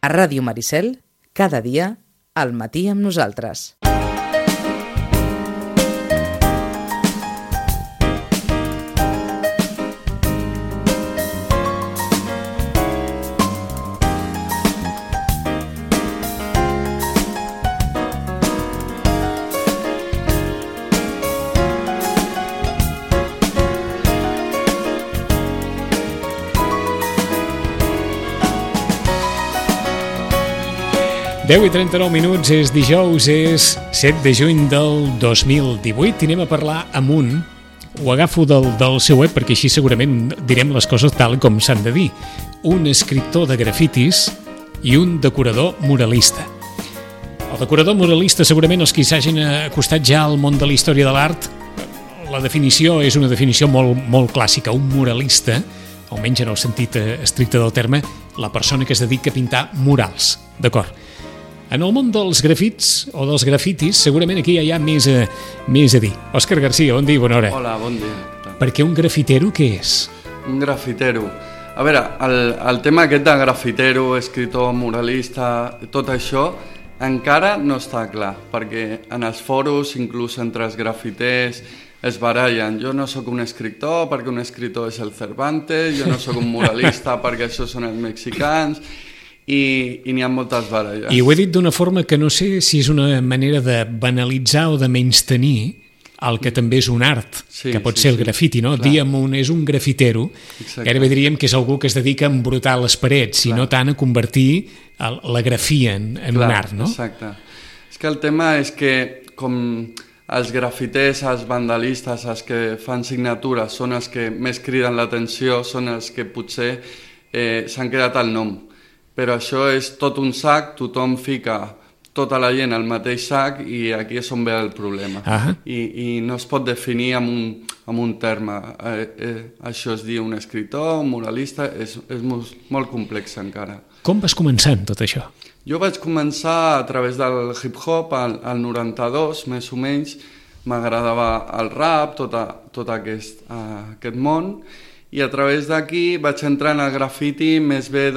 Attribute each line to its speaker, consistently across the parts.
Speaker 1: A Ràdio Maricel, cada dia, al matí amb nosaltres.
Speaker 2: Deu i 39 minuts, és dijous, és 7 de juny del 2018 i anem a parlar amb un, ho agafo del seu web perquè així segurament direm les coses tal com s'han de dir, un escriptor de grafitis i un decorador muralista. El decorador muralista, segurament els que s'hagin acostat ja al món de la història de l'art, la definició és una definició molt clàssica, un muralista, almenys en el sentit estricte del terme, la persona que es dedica a pintar murals, d'acord? En el món dels grafits o dels grafitis, segurament aquí hi ha més a dir. Òscar Garcia, bon dia, bona hora.
Speaker 3: Hola, bon dia.
Speaker 2: Perquè un grafitero què és?
Speaker 3: Un grafitero. A veure, el tema aquest de grafitero, escriptor, muralista, tot això, encara no està clar, perquè en els foros, inclús entre els grafiters, es barallen. Jo no sóc un escriptor perquè un escriptor és el Cervantes, jo no sóc un muralista perquè això són els mexicans, i n'hi ha moltes baralles.
Speaker 2: I ho he dit d'una forma que no sé si és una manera de banalitzar o de menystenir el que també és un art, que pot ser el grafiti, no? Diem és un grafitero, gairebé diríem que és algú que es dedica a embrutar les parets i no tant a convertir la grafia en un art, no?
Speaker 3: Exacte. És que el tema és que com els grafiters, els vandalistes, els que fan signatures són els que més criden l'atenció, són els que potser s'han quedat al nom. Però això és tot un sac, tothom fica tota la gent al mateix sac i aquí és on ve el problema. I no es pot definir amb un terme. Això es diu un escriptor, un muralista, és molt complex encara.
Speaker 2: Com vas començar amb tot això?
Speaker 3: Jo vaig començar a través del hip-hop, al 92, més o menys. M'agradava el rap, tot aquest món, i a través d'aquí vaig entrar en el grafiti més bé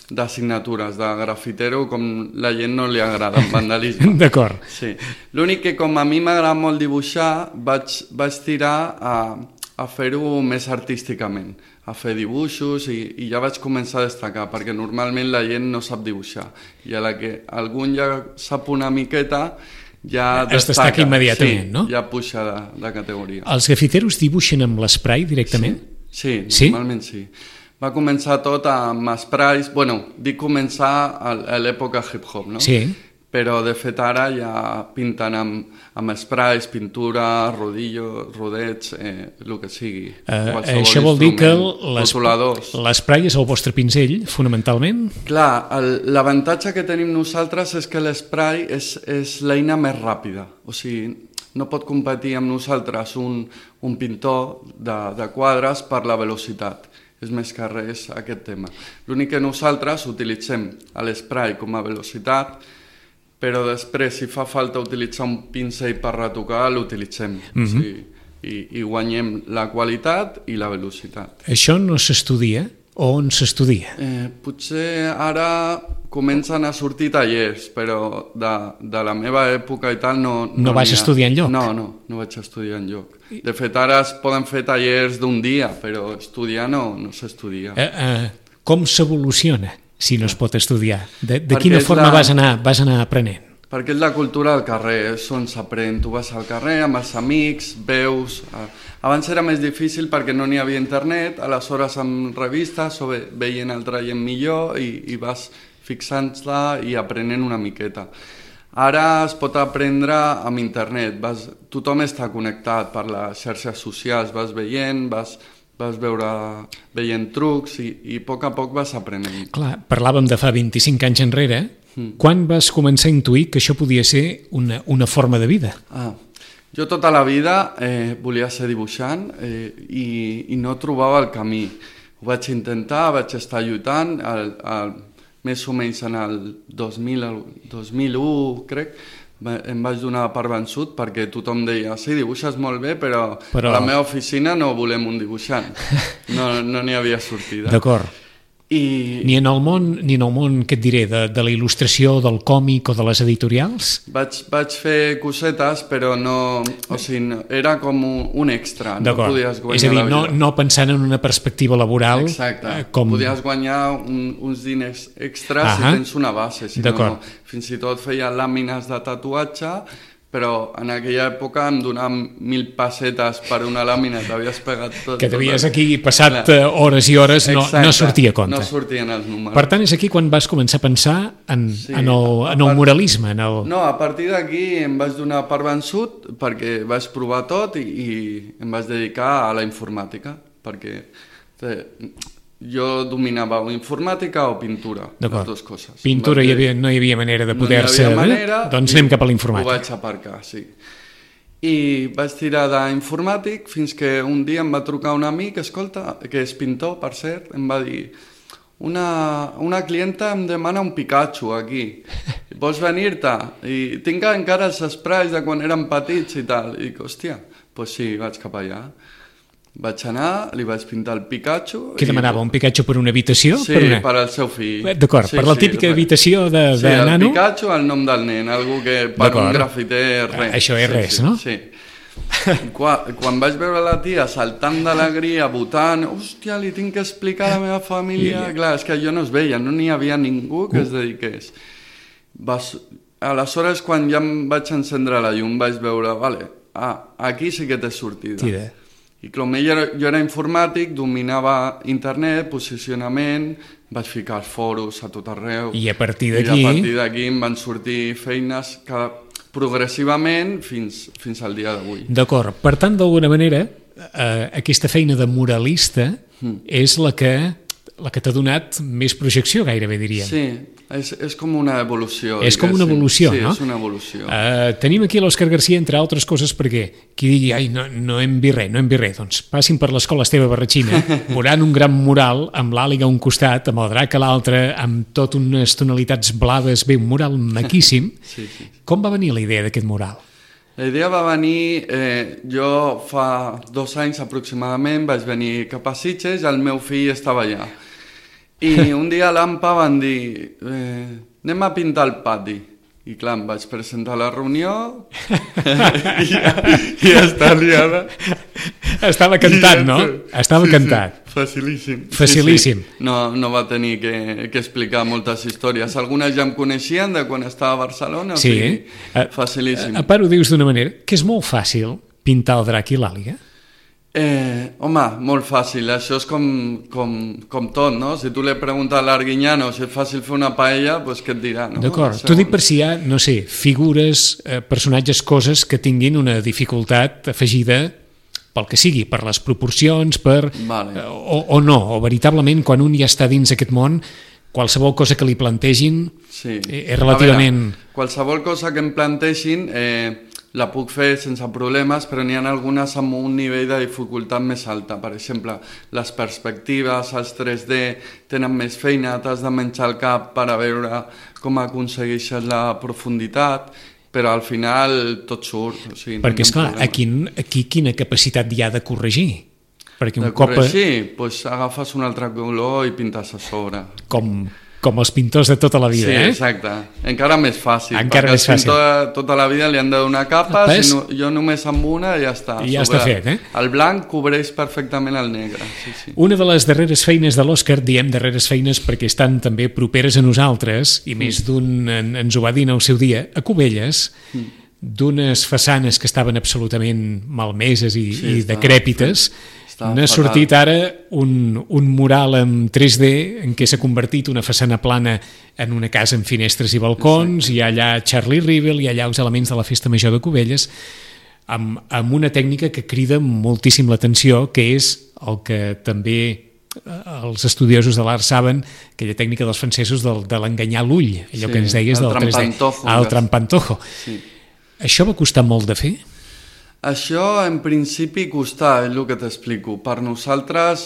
Speaker 3: de signatures, de grafitero, com la gent no li agrada, el vandalisme.
Speaker 2: D'acord.
Speaker 3: Sí. L'únic que com a mi m'agrada molt dibuixar, vaig tirar a fer-ho més artísticament, a fer dibuixos i ja vaig començar a destacar, perquè normalment la gent no sap dibuixar. I a la que algú ja sap una miqueta, ja
Speaker 2: destaca immediatament, no?
Speaker 3: Ja puja de categoria.
Speaker 2: Els grafiteros dibuixen amb l'esprai directament?
Speaker 3: Sí, normalment sí. Va començar tot amb sprays, dic començar a l'època hip-hop, no?
Speaker 2: Sí.
Speaker 3: Però de fet ara ja pinten amb sprays, pintura, rodets, el que sigui.
Speaker 2: Això vol dir que l'esprai és el vostre pinzell, fonamentalment?
Speaker 3: Clar, l'avantatge que tenim nosaltres és que l'esprai és l'eina més ràpida. O sigui, no pot competir amb nosaltres un pintor de quadres per la velocitat. És més que res aquest tema. L'únic que nosaltres utilitzem l'esprai com a velocitat, però després, si fa falta utilitzar un pincell per retocar, l'utilitzem. I guanyem la qualitat i la velocitat.
Speaker 2: Això no s'estudia? O on s'estudia?
Speaker 3: Potser ara comencen a sortir tallers, però de la meva època i tal no...
Speaker 2: No vas estudiar enlloc?
Speaker 3: No vaig estudiar enlloc. De fet, ara es poden fer tallers d'un dia, però estudiar no s'estudia.
Speaker 2: Com s'evoluciona si no es pot estudiar? De quina forma vas anar aprenent?
Speaker 3: Perquè és la cultura del carrer, és on s'aprèn. Tu vas al carrer amb els amics, veus... Abans era més difícil perquè no n'hi havia internet, aleshores amb revistes o veient altra gent millor i vas fixant-la i aprenent una miqueta. Ara es pot aprendre amb internet, tothom està connectat per les xarxes socials, vas veient, vas veient trucs i a poc vas aprenent.
Speaker 2: Clar, parlàvem de fa 25 anys enrere. Quan vas començar a intuir que això podia ser una forma de vida?
Speaker 3: Jo tota la vida volia ser dibuixant i no trobava el camí. Ho vaig intentar, vaig estar lluitant, més o menys en el 2001, crec, em vaig donar per vençut perquè tothom deia sí, dibuixes molt bé, però a la meva oficina no volem un dibuixant. No n'hi havia sortida.
Speaker 2: D'acord. Ni en el món, què et diré, de la il·lustració, del còmic o de les editorials?
Speaker 3: Vaig fer cosetes, però no... O sigui, no, era com un extra. No podies guanyar
Speaker 2: és a dir,
Speaker 3: la vida.
Speaker 2: no pensant en una perspectiva laboral.
Speaker 3: Exacte. Podies guanyar uns diners extras si tens una base. Si no, fins i tot feia làmines de tatuatge, però en aquella època em donaven 1.000 pessetes per una làmina, t'havies pegat tot.
Speaker 2: Que t'havies aquí passat hores i hores, no sortia a compte.
Speaker 3: No sortien els números.
Speaker 2: Per tant, és aquí quan vas començar a pensar en el muralisme. No,
Speaker 3: a partir d'aquí em vaig donar per vençut perquè vaig provar tot i em vaig dedicar a la informàtica, perquè jo dominava o informàtica o pintura, les dues coses.
Speaker 2: Pintura no hi havia manera de poder-se... Doncs anem cap a l'informàtica.
Speaker 3: Ho vaig aparcar, sí. I vaig tirar d'informàtic fins que un dia em va trucar un amic, escolta, que és pintor, per cert, em va dir una clienta em demana un Pikachu aquí, vols venir-te? I tinc encara els sprays de quan érem petits i tal. I dic, hòstia, doncs sí, vaig cap allà. Vaig anar, li vaig pintar el Pikachu...
Speaker 2: Què demanava, un Pikachu per una habitació?
Speaker 3: Sí, per al seu fill.
Speaker 2: D'acord, per la típica habitació de nano?
Speaker 3: Sí, el Pikachu, el nom del nen, algú que per un grafiter res.
Speaker 2: Això és res, no?
Speaker 3: Sí. Quan vaig veure la tia saltant d'alegria, votant, hòstia, li tinc que explicar a la meva família... Clar, és que jo no es veia, no n'hi havia ningú que es dediqués. Aleshores, quan ja em vaig encendre la llum, vaig veure, vale, aquí sí que té sortida. I com jo era informàtic, dominava internet, posicionament, vaig ficar els foros a tot arreu.
Speaker 2: I a partir d'aquí
Speaker 3: em van sortir feines progressivament fins al dia d'avui.
Speaker 2: D'acord. Per tant, d'alguna manera, aquesta feina de muralista és la que t'ha donat més projecció, gairebé diríem.
Speaker 3: Sí, és com una evolució.
Speaker 2: És com una evolució, no?
Speaker 3: Sí, és una evolució.
Speaker 2: Tenim aquí l'Òscar Garcia, entre altres coses, perquè qui digui, ai, no hem vist res, doncs passin per l'escola Esteve Barratxina, veuran un gran mural amb l'àliga a un costat, amb el drac a l'altre, amb tot unes tonalitats blaves, bé, un mural maquíssim.
Speaker 3: Sí.
Speaker 2: Com va venir la idea d'aquest mural?
Speaker 3: La idea va venir, jo fa 2 anys aproximadament vaig venir cap a Sitges i el meu fill estava allà. I un dia a l'AMPA van dir, anem a pintar el pati. I clar, em vaig presentar a la reunió i ja està liada.
Speaker 2: Estava cantat, no? Estava cantat.
Speaker 3: Facilíssim.
Speaker 2: Facilíssim.
Speaker 3: No va tenir que explicar moltes històries. Algunes ja em coneixien de quan estava a Barcelona, o sigui, facilíssim.
Speaker 2: A part ho dius d'una manera, que és molt fàcil pintar el drac i l'àliga.
Speaker 3: Home, molt fàcil, això és com tot, no? Si tu li preguntes a l'Arguiñano si és fàcil fer una paella, doncs què et dirà, no?
Speaker 2: D'acord, t'ho dic per si hi ha, no sé, figures, personatges, coses que tinguin una dificultat afegida pel que sigui, per les proporcions, o no, o veritablement quan un ja està dins aquest món, qualsevol cosa que li plantegin és relativament...
Speaker 3: Qualsevol cosa que em plantegin... la puc fer sense problemes, però n'hi ha algunes amb un nivell de dificultat més alta. Per exemple, les perspectives, els 3D, tenen més feina, t'has de menjar el cap per a veure com aconsegueixes la profunditat, però al final tot surt. O sigui,
Speaker 2: perquè, esclar, aquí quina capacitat hi ha de corregir?
Speaker 3: Perquè de corregir? Doncs agafes un altre color i pintes a sobre.
Speaker 2: Com els pintors de tota la vida,
Speaker 3: Sí, exacte. Encara més fàcil. Encara més fàcil. Perquè tota la vida li han de donar capes, jo només amb una i ja està.
Speaker 2: I ja està fet,
Speaker 3: El blanc cobreix perfectament el negre. Sí.
Speaker 2: Una de les darreres feines de l'Òscar, diem darreres feines perquè estan també properes a nosaltres, i més d'un ens ho va dir en el seu dia, a Cubelles, d'unes façanes que estaven absolutament malmeses i decrèpites. N'ha sortit ara un mural en 3D en què s'ha convertit una façana plana en una casa amb finestres i balcons. Hi ha allà Charlie Rivel, hi ha allà els elements de la Festa Major de Cubelles, amb una tècnica que crida moltíssim l'atenció, que és el que també els estudiosos de l'art saben, aquella tècnica dels francesos de l'enganyar l'ull, allò que ens deies del 3D, el trampantojo. Això va costar molt de fer?
Speaker 3: Això, en principi, costar, és el que t'explico. Per nosaltres,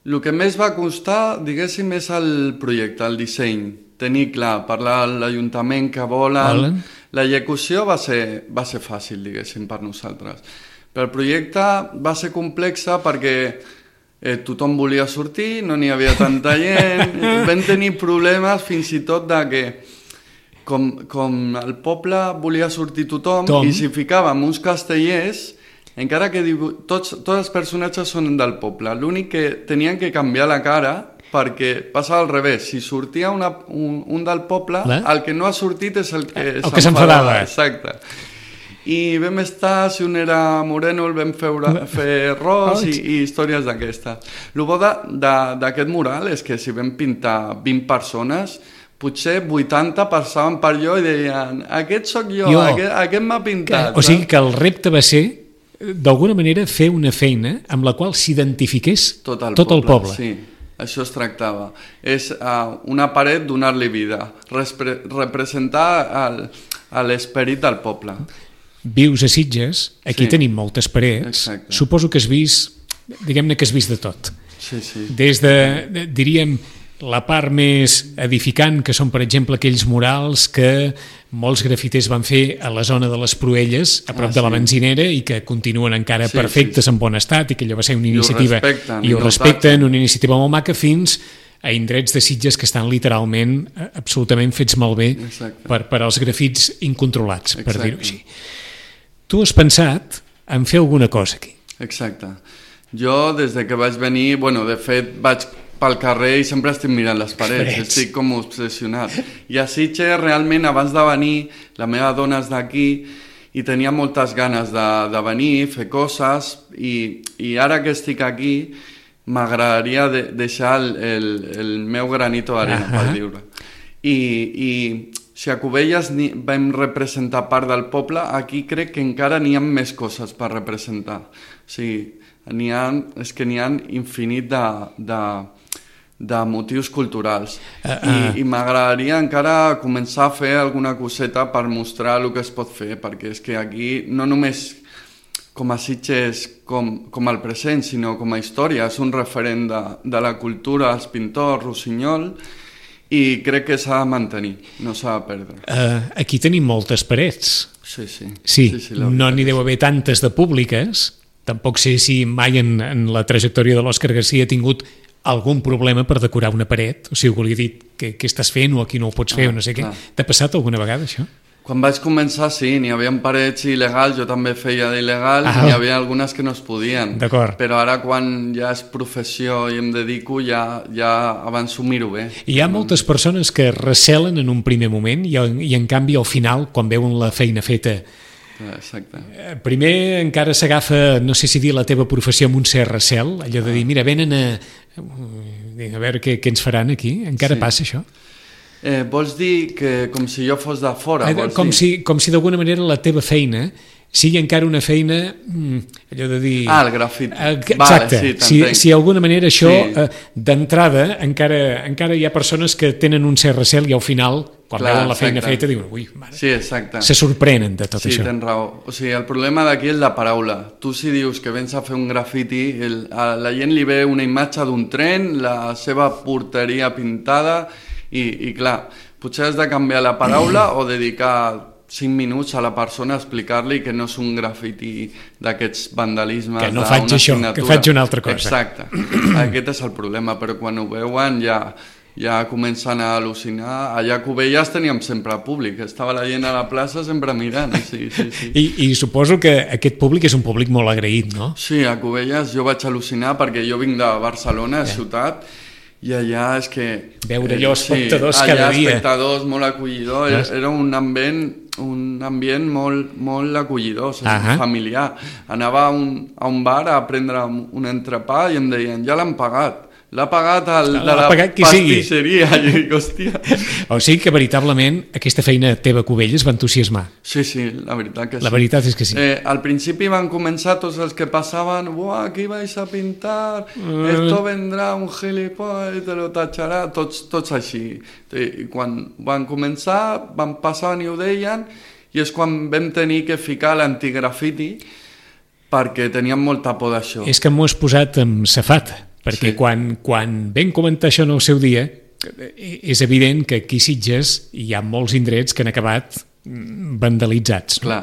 Speaker 3: el que més va costar, diguéssim, és el projecte, el disseny. Tenir clar, parlar a l'Ajuntament que volen. L'execució va ser fàcil, diguéssim, per nosaltres. Però el projecte va ser complex perquè tothom volia sortir, no n'hi havia tanta gent, vam tenir problemes fins i tot de que com el poble volia sortir tothom i si ficàvem uns castellers, encara que tots els personatges són del poble, l'únic que tenien que canviar la cara perquè passava al revés, si sortia un del poble, el que no ha sortit és el que
Speaker 2: s'enfadava.
Speaker 3: Exacte. I vam estar, si un era moreno, el vam fer ros i històries d'aquestes. El bo d'aquest mural és que si vam pintar 20 persones, potser 80 passaven per allò i deien aquest sóc jo. Aquest m'ha pintat.
Speaker 2: O sigui que el repte va ser, d'alguna manera, fer una feina amb la qual s'identifiqués tot el poble.
Speaker 3: Sí. Això es tractava. És una paret donar-li vida, representar l'esperit del poble.
Speaker 2: Vius a Sitges, aquí tenim moltes parets, suposo que has vist, diguem-ne que has vist de tot.
Speaker 3: Sí.
Speaker 2: Des de, diríem, la part més edificant, que són, per exemple, aquells murals que molts grafiters van fer a la zona de les Proelles, a prop de la benzinera, i que continuen encara perfectes, en bon estat, i que allò va ser una iniciativa... I ho respecten, una iniciativa molt maca, fins a indrets de Sitges que estan literalment absolutament fets malbé per als grafits incontrolats, per dir-ho així. Tu has pensat en fer alguna cosa aquí.
Speaker 3: Exacte. Jo, des de que vaig venir, de fet, vaig pel carrer i sempre estic mirant les parets, estic com obsessionat. I a Sitges, realment, abans de venir, la meva dona és d'aquí i tenia moltes ganes de venir, fer coses, i ara que estic aquí, m'agradaria deixar el meu granito d'arena, per dir-ho. I si a Cubelles vam representar part del poble, aquí crec que encara n'hi ha més coses per representar. O sigui, és que n'hi ha infinit de motius culturals. I m'agradaria encara començar a fer alguna coseta per mostrar el que es pot fer, perquè és que aquí no només com a Sitges com el present, sinó com a història, és un referent de la cultura, els pintors, Rossinyol, i crec que s'ha de mantenir, no s'ha de perdre.
Speaker 2: Aquí tenim moltes parets.
Speaker 3: Sí,
Speaker 2: no n'hi deu haver tantes de públiques, tampoc sé si mai en la trajectòria de l'Òscar Garcia ha tingut algun problema per decorar una paret, o sigui, volia dir què estàs fent o aquí no ho pots fer o no sé què. T'ha passat alguna vegada això?
Speaker 3: Quan vaig començar, sí, n'hi havia parets il·legals, jo també feia d'il·legal, n'hi havia algunes que no es podien.
Speaker 2: D'acord.
Speaker 3: Però ara, quan ja és professió i em dedico, ja abans ho miro bé.
Speaker 2: Hi ha moltes persones que recelen en un primer moment i en canvi, al final, quan veuen la feina feta, primer encara s'agafa, no sé si dir la teva professió amb un cert recel, allò de dir, mira, venen a veure què ens faran aquí. Encara passa això?
Speaker 3: Vols dir que com si jo fos de fora?
Speaker 2: Com si d'alguna manera la teva feina sigui encara una feina, allò de dir...
Speaker 3: el grafit.
Speaker 2: Exacte. Si d'alguna manera això, d'entrada, encara hi ha persones que tenen un cert recel i al final, quan veuen la feina feta, diuen, ui, mare, se sorprenen de tot això.
Speaker 3: Sí, tens raó. O sigui, el problema d'aquí és la paraula. Tu si dius que vens a fer un grafiti, a la gent li ve una imatge d'un tren, la seva porteria pintada, i clar, potser has de canviar la paraula o dedicar 5 minuts a la persona a explicar-li que no és un grafiti d'aquests vandalismes,
Speaker 2: que no faig això, que faig una altra cosa.
Speaker 3: Exacte, aquest és el problema, però quan ho veuen ja comencen a al·lucinar. Allà a Cubelles teníem sempre públic, estava la gent a la plaça sempre mirant. Sí.
Speaker 2: I suposo que aquest públic és un públic molt agraït, no?
Speaker 3: Sí, a Cubelles jo vaig al·lucinar perquè jo vinc de Barcelona, ciutat, i allà és que...
Speaker 2: Veure allò espectadors cada dia.
Speaker 3: Allà espectadors molt acollidors, era un ambient molt acollidor, familiar. Anava a un bar a prendre un entrepà i em deien, ja l'han pagat. L'ha pagat de la pastisseria. I dic, hòstia.
Speaker 2: O sigui que veritablement aquesta feina teva a Cubelles va entusiasmar.
Speaker 3: Sí, la veritat que sí.
Speaker 2: La veritat és que sí.
Speaker 3: Al principi van començar tots els que passaven, buah, aquí vais a pintar, esto vendrá un gilipollas i te lo tacharà, tots així. I quan van començar, van passar i ho deien, i és quan vam tenir que ficar l'antigrafiti perquè teníem molta por d'això.
Speaker 2: És que m'ho has posat amb safata. Perquè quan vam comentar això en el seu dia, és evident que aquí a Sitges hi ha molts indrets que han acabat vandalitzats.
Speaker 3: Clar.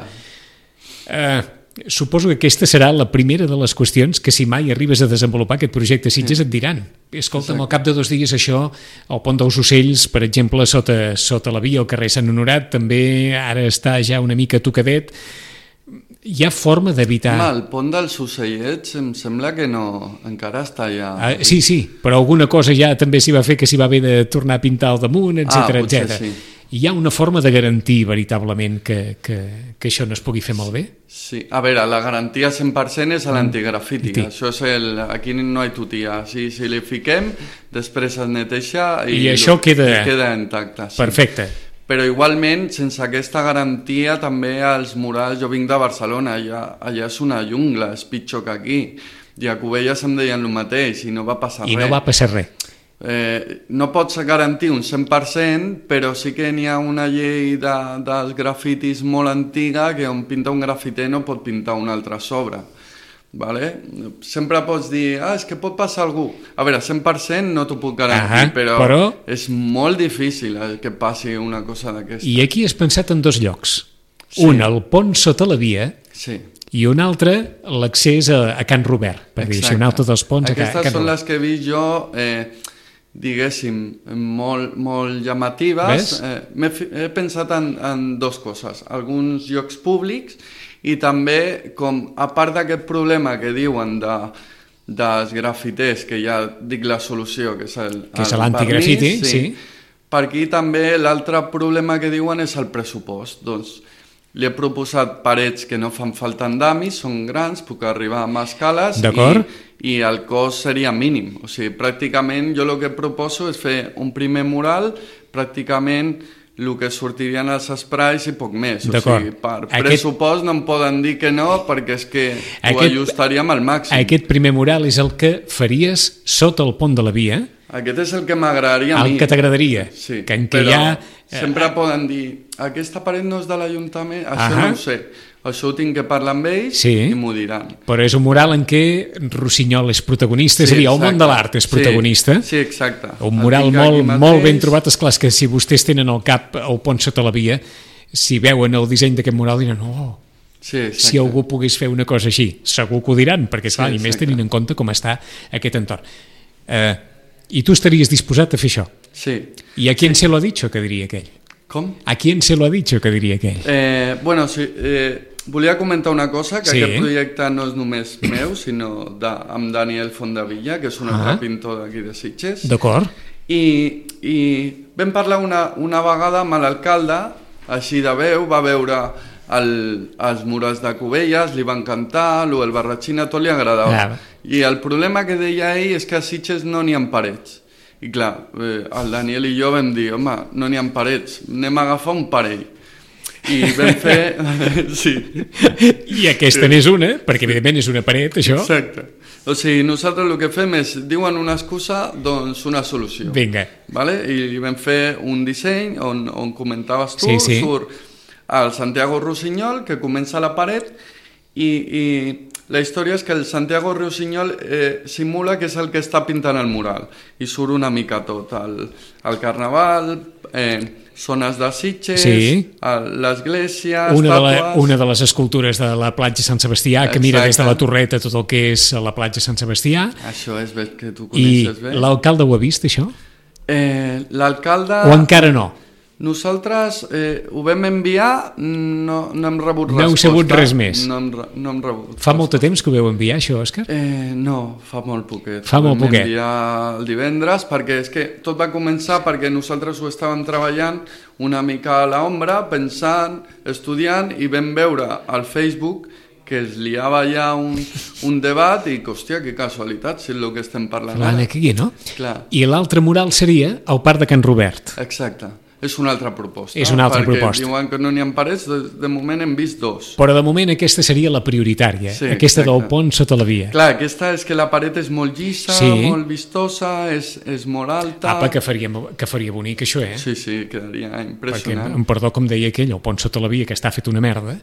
Speaker 2: suposo que aquesta serà la primera de les qüestions que si mai arribes a desenvolupar aquest projecte Sitges et diran. Escolta'm, al cap de 2 dies això, el pont dels Ocells, per exemple, sota la via al carrer Sant Honorat, també ara està ja una mica tocadet. Hi ha forma d'evitar...
Speaker 3: El pont dels Ocellets em sembla que no, encara està ja...
Speaker 2: Sí, però alguna cosa ja també s'hi va fer, que s'hi va haver de tornar a pintar al damunt, etc.
Speaker 3: Potser sí.
Speaker 2: Hi ha una forma de garantir veritablement que això no es pugui fer malbé?
Speaker 3: Sí, a veure, la garantia 100% és a l'antigrafiti. Això és aquí no hi ha tutia. Si li fiquem, després es neteja
Speaker 2: i això queda
Speaker 3: intacte. Sí.
Speaker 2: Perfecte.
Speaker 3: Però igualment, sense aquesta garantia, també els murals... Jo vinc de Barcelona, allà és una jungla, és pitjor que aquí. I a Cubelles em deien el mateix i no va passar res.
Speaker 2: I no va passar res.
Speaker 3: No pots garantir un 100%, però sí que n'hi ha una llei dels grafitis molt antiga que on pinta un grafiter no pot pintar un altre a sobre. Vale? Sempre pots dir, és que pot passar algú. A veure, 100% no t'ho puc garantir, però és molt difícil que passi una cosa d'aquesta.
Speaker 2: I aquí has pensat en 2 llocs. Sí. Un, el pont sota la via,
Speaker 3: sí.
Speaker 2: I un altre, l'accés a Can Robert, per dir, un altre dels ponts a Can Robert.
Speaker 3: Aquestes són les que he vist jo... diguéssim, molt llamatives. He pensat en 2 coses. Alguns llocs públics i també, a part d'aquest problema que diuen dels grafiters, que ja dic la solució, que és
Speaker 2: l'antigrafiti, sí.
Speaker 3: Per aquí també l'altre problema que diuen és el pressupost. Doncs li he proposat parets que no fan falta andamis, són grans, puc arribar amb escales i el cost seria mínim. O sigui, pràcticament jo el que proposo és fer un primer mural, pràcticament el que sortirien els sprays i poc més. O sigui, per pressupost no em poden dir que no, perquè és que ho ajustaríem al màxim.
Speaker 2: Aquest primer mural és el que faries sota el pont de la via?
Speaker 3: Aquest és el que m'agradaria a mi.
Speaker 2: El que t'agradaria?
Speaker 3: Sí, però sempre poden dir aquesta paret no és de l'Ajuntament, això no ho sé. Això ho tinc que parlar amb ells i m'ho diran.
Speaker 2: Però és un mural en què Rossinyol és protagonista, és a dir, el món de l'art és protagonista.
Speaker 3: Sí, exacte.
Speaker 2: Un mural molt ben trobat. Esclar, que si vostès tenen al cap el pont sota la via, si veuen el disseny d'aquest mural diran, si algú pogués fer una cosa així, segur que ho diran, perquè clar, i més tenint en compte com està aquest entorn. I tu estaries disposat a fer això?
Speaker 3: Sí.
Speaker 2: I a quién se lo ha dicho, que diria aquell?
Speaker 3: Com?
Speaker 2: A quién se lo ha dicho, que diria aquell?
Speaker 3: Bueno, sí, volia comentar una cosa, que aquest projecte no és només meu, sinó amb Daniel Fondavilla, que és un altre pintor d'aquí de Sitges.
Speaker 2: D'acord.
Speaker 3: I vam parlar una vegada amb l'alcalde, així de veu, va veure els murals de Cubelles, li va encantar, el Barratxina, tot li agradava. I el problema que deia ell és que a Sitges no n'hi ha parets. I clar, el Daniel i jo vam dir, home, no n'hi ha parets, anem a agafar un parell. I vam fer... sí.
Speaker 2: I aquesta n'és una, perquè evidentment és una paret, això.
Speaker 3: Exacte. O sigui, nosaltres el que fem és, diuen una excusa, doncs una solució.
Speaker 2: Vinga.
Speaker 3: Vale? I vam fer un disseny on comentaves tu, surt el Santiago Rossinyol, que comença la paret, i la història és que el Santiago Rossinyol simula que és el que està pintant el mural, i surt una mica tot, el carnaval, zones de Sitges, l'església, estàtues...
Speaker 2: Una de les escultures de la platja Sant Sebastià, que mira des de la torreta tot el que és la platja Sant Sebastià.
Speaker 3: Això és bé, que tu coneixes bé.
Speaker 2: I l'alcalde ho ha vist, això?
Speaker 3: L'alcalde...
Speaker 2: O encara no?
Speaker 3: Nosaltres ho vam enviar, no hem rebut resposta.
Speaker 2: No heu sabut res més?
Speaker 3: No hem rebut.
Speaker 2: Fa molt de temps que ho vau enviar, això, Òscar?
Speaker 3: No, fa molt poquet.
Speaker 2: Fa molt poquet.
Speaker 3: Ho vam enviar el divendres, perquè és que tot va començar perquè nosaltres ho estàvem treballant una mica a l'ombra, pensant, estudiant, i vam veure al Facebook que es liava ja un debat i, hòstia, que casualitat, si és el que estem parlant ara.
Speaker 2: Aquí, no?
Speaker 3: Clar.
Speaker 2: I l'altre mural seria el Parc de Can Robert.
Speaker 3: Exacte. És una altra proposta.
Speaker 2: És una altra proposta.
Speaker 3: Perquè diuen que no n'hi ha parets, de moment hem vist 2.
Speaker 2: Però de moment aquesta seria la prioritària, aquesta del pont sota la via.
Speaker 3: Clar, aquesta és que la paret és molt llisa, molt vistosa, és molt alta...
Speaker 2: Apa, que faria bonic això,
Speaker 3: Sí, quedaria impressionant.
Speaker 2: Perquè, perdó, com deia aquell, el pont sota la via, que està fet una merda,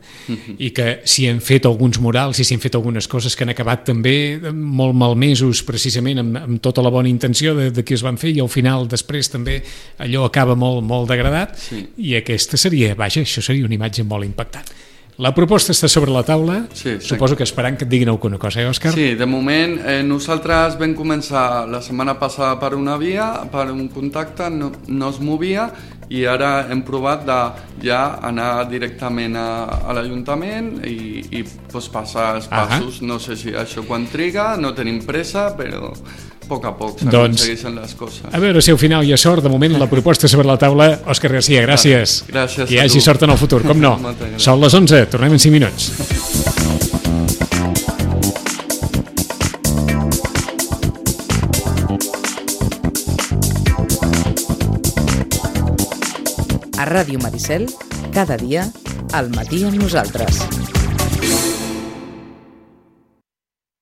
Speaker 2: i que si hem fet alguns murals i si hem fet algunes coses que han acabat també molt malmesos, precisament amb tota la bona intenció de qui es van fer, i al final, després, també allò acaba molt degradat, i aquesta seria, vaja, això seria una imatge molt impactant. La proposta està sobre la taula,
Speaker 3: Sí.
Speaker 2: suposo que esperant que et diguin alguna cosa, Òscar?
Speaker 3: Sí, de moment nosaltres vam començar la setmana passada per una via, per un contacte, no es movia, i ara hem provat de ja anar directament a l'Ajuntament i pues, passar els passos. No sé si això quan triga, no tenim pressa, però a poc s'aconsegueixen les coses.
Speaker 2: A veure si al final hi ha sort. De moment la proposta sobre la taula. Òscar Garcia, gràcies.
Speaker 3: Gràcies
Speaker 2: que hi hagi sort en el futur, com no. Són les 11, tornem en 5 minuts.
Speaker 1: A Ràdio Maricel, cada dia, al matí amb nosaltres.